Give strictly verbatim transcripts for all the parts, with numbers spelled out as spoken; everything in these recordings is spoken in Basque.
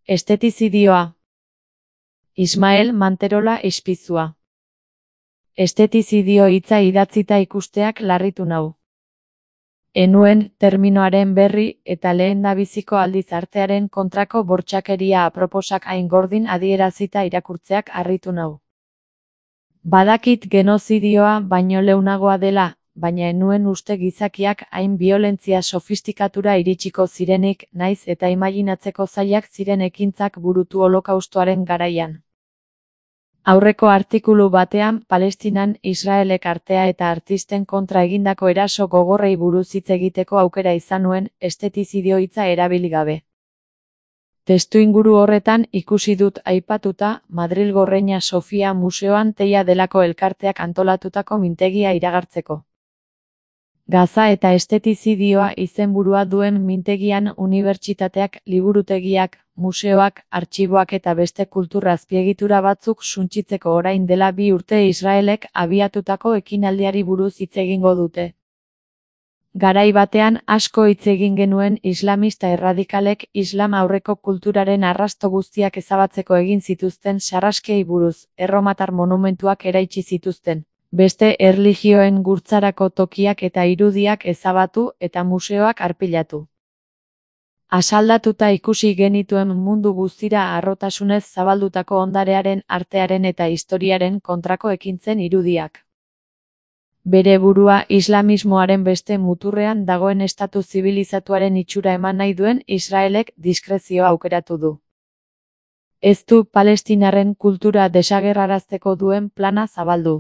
Estetizidioa. Ismael Manterola Espizua. Estetizidio hitza idatzita ikusteak larritu nau. Enuen terminoaren berri eta lehendabiziko aldiz artearen kontrako bortxakeria aproposak hain gordin adierazita irakurtzeak harritu nau. Badakit genozidioa baino leunagoa dela, baina enuen uste gizakiak hain biolentzia sofistikatura iritsiko zirenik, naiz eta imaginatzeko zailak ziren ekintzak burutu holokaustoaren garaian. Aurreko artikulu batean Palestinan Israelek artea eta artisten kontra egindako eraso gogorrei buruz hitz egiteko aukera izan nuen, estetizidio hitza erabili gabe. Testuinguru horretan ikusi dut aipatuta Madrilgo Reina Sofia Museoan Teia delako elkarteak antolatutako mintegia iragartzeko. Gaza eta estetizidioa izenburua duen mintegian unibertsitateak, liburutegiak, museoak, artxiboak eta beste kultur azpiegitura batzuk suntsitzeko orain dela bi urte Israelek abiatutako ekinaldiari buruz hitz egingo dute. Garai batean asko hitz egin genuen islamista erradikalek islam aurreko kulturaren arrasto guztiak ezabatzeko egin zituzten sarraskiei buruz, erromatar monumentuak eraitsi zituzten, beste erlijioen gurtzarako tokiak eta irudiak ezabatu eta museoak arpilatu. Asaldatuta ikusi genituen mundu guztira harrotasunez zabaldutako ondarearen, artearen eta historiaren kontrako ekintzen irudiak. Bere burua islamismoaren beste muturrean dagoen estatu zibilizatuaren itxura eman nahi duen Israelek diskrezioa aukeratu du. Ez du palestinarren kultura desagerrarazteko duen plana zabaldu.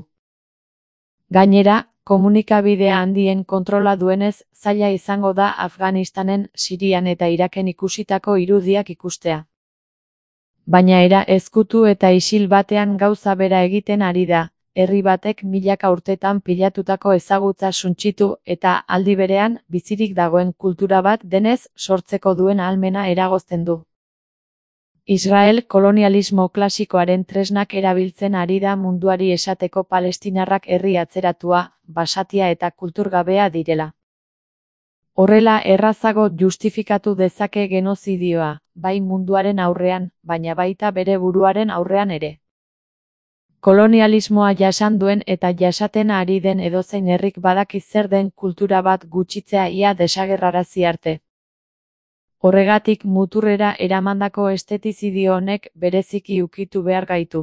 Gainera, komunikabidea handien kontrola duenez, zaila izango da Afganistanen, Sirian eta Iraken ikusitako irudiak ikustea. Baina era ezkutu eta isil batean gauza bera egiten ari da, herri batek milaka urtetan pilatutako ezagutza suntsitu eta aldi berean bizirik dagoen kultura bat denez sortzeko duen ahalmena eragozten du. Israel kolonialismo klasikoaren tresnak erabiltzen ari da munduari esateko palestinarrak herri atzeratua, basatia eta kulturgabea direla. Horrela errazago justifikatu dezake genozidioa, bai munduaren aurrean, baina baita bere buruaren aurrean ere. Kolonialismoa jasan duen eta jasaten ari den edozein herrik badaki zer den kultura bat gutxitzea ia desagerrarazi arte. Horregatik muturrera eramandako estetizidio honek bereziki ukitu behar gaitu.